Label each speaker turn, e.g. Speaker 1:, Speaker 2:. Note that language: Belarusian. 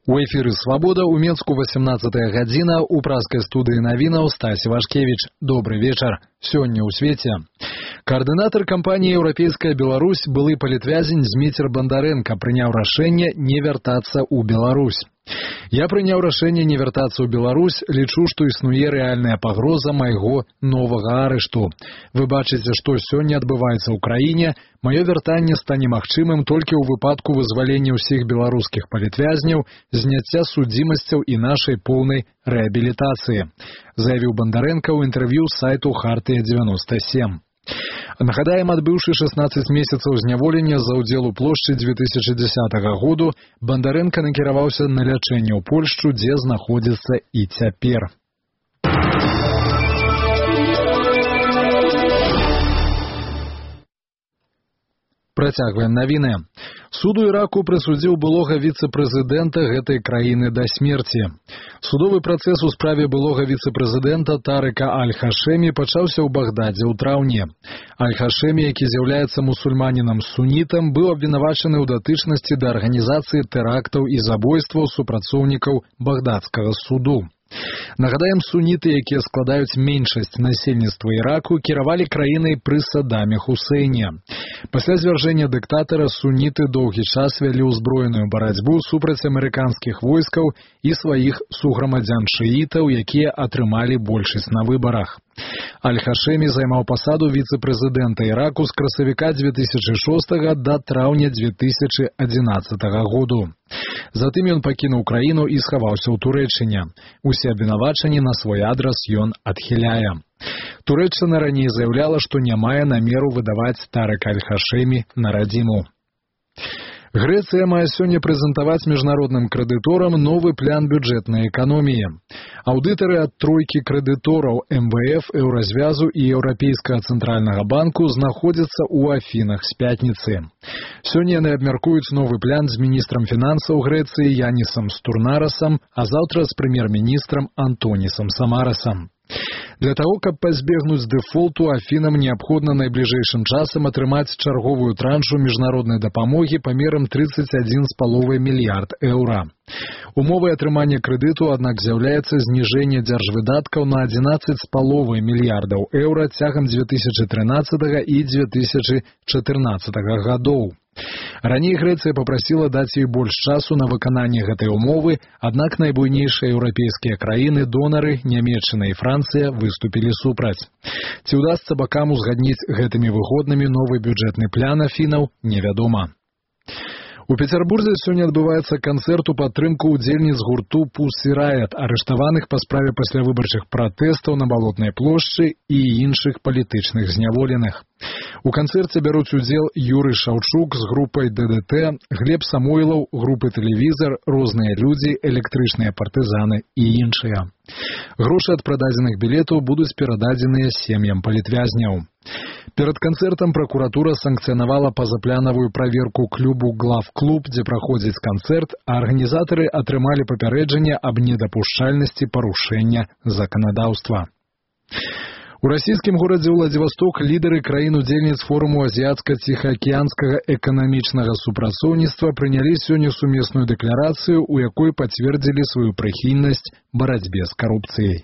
Speaker 1: У эфіры «Свабода» у Менску 18-я гадзіна, у праскай студыі навінаў Стась Івашкевіч. Добры вечар. Сёння ў свеце. Координатор кампании «Европейская Беларусь», былы палітвязень Зміцер Бандаренко, прыняў рашэнне не вяртацца ў Беларусь. Я прыняў рашэнне не вяртацца ў Беларусь, лічу, што існуе рэальная пагроза майго новага арышту. Вы бачыце, што сёння адбываецца ў краіне. Маё вяртанне стане магчымым толькі ў выпадку вызвалення ўсіх беларускіх палітвязняў, зняцця судзімасцяў і нашай поўнай рэабілітацыі, заявіў Бандаренко ў інтэрв'ю сайту «Хартыя-97». Нагадаем, адбыўшы 16 месяцаў зняволення за ўдзел у плошчы 2010 году, Бандаренко накіраваўся на лячэнне ў Польшчу, дзе знаходзіцца і цяпер. Працягваем навіны. Суд у Іраку прысудзіў былога віцэ-прэзідэнта гэтай краіны да смерці. Судовы працэс у справе былога віцэ-прэзідэнта Тарыка Аль-Хашэмі пачаўся ў Багдадзе ў траўні. Аль-Хашэмі, які з'яўляецца мусульманінам-сунітам, быў абвінавачаны ў датычнасці да арганізацыі тэрактаў і забойстваў супрацоўнікаў багдадскага суду. Нагадаем, суніты, якія складаюць меншасць насельніцтва Іраку, кіравалі краінай пры Садаме Хусейне. Пасля звяржэння дыктатара суніты доўгі час вялі ўзброеную барацьбу супраць амерыканскіх войскаў і сваіх суграмадзян-шыітаў, якія атрымалі большасць на выбарах. Аль-Хашэмі займаў пасаду віцэ-прэзідэнта Іраку з красавіка 2006 да траўня 2011 году. Затым ён пакінуў краіну і схаваўся ў Турэччыне. Усе абвінавачанні на свой адрас ён адхіляе. Турэччына раней заяўляла, што не мае намеру выдаваць Тарыка Аль-Хашэмі на радзіму. Грэцыя мае сёння прэзентаваць міжнародным крэдыторам новы план бюджэтнай эканоміі. Аўдытары ад тройкі крэдытораў МВФ, Еўразвязу і Еўрапейскага цэнтральнага банку знаходзяцца ў Афінах з пятніцы. Сёння яны абмяркуюць новы план з міністрам фінансаў Грэцыі Янісам Стурнарасам, а заўтра з прэм'ер-міністрам Антонісам Самарасам. Для таго, каб пазбегнуць дэфолту, Афінам неабходна найбліжэйшым часам атрымаць чарговую траншу міжнароднай дапамогі памерам 31,5 мільярд еўра. Умовай атрымання крэдыту, аднак, з'яўляецца зніжэнне дзяржвыдаткаў на 11,5 мільярдаў еўра цягам 2013 і 2014 гадоў. Раней Грэцыя папрасіла даць ёй больш часу на выкананне гэтай умовы, аднак найбуйнейшыя еўрапейскія краіны-донары, Нямецчына і Францыя, выступілі супраць. Ці ўдасца бакам узгадніць гэтымі выгоднымі новы бюджэтны план Афінаў, невядома. У Петербурзе сёння адбываецца канцэрт у падтрымку ўдзельніц гурту Pussy Riot, арыштаваных па справе паслявыбарчых пратэстаў на Балотнай плошчы і іншых палітычных зняволеных. У канцэрце бяруць удзел Юрый Шаўчук з групай ДДТ, Глеб Самойлаў, групы «Тэлевізар», розныя людзі, электрычныя партызаны і іншыя. Грошы ад прададзеных білетаў будуць перададзеныя сем'ям палітвязняў. Перад канцэртам пракуратура санкцыянавала пазапланавую праверку клубу «Главклуб», дзе праходзіць канцэрт, а арганізатары атрымалі папярэджанне аб недапушчальнасці парушэння заканадаўства. У расійскім горадзе Владзівасток лідары краін-удзельніц форуму азіятска-ціхаакіянскага эканамічнага супрацоўніцтва прынялі сёння сумесную дэкларацыю, у якой пацвердзілі сваю прыхільнасць барацьбе з карупцыяй.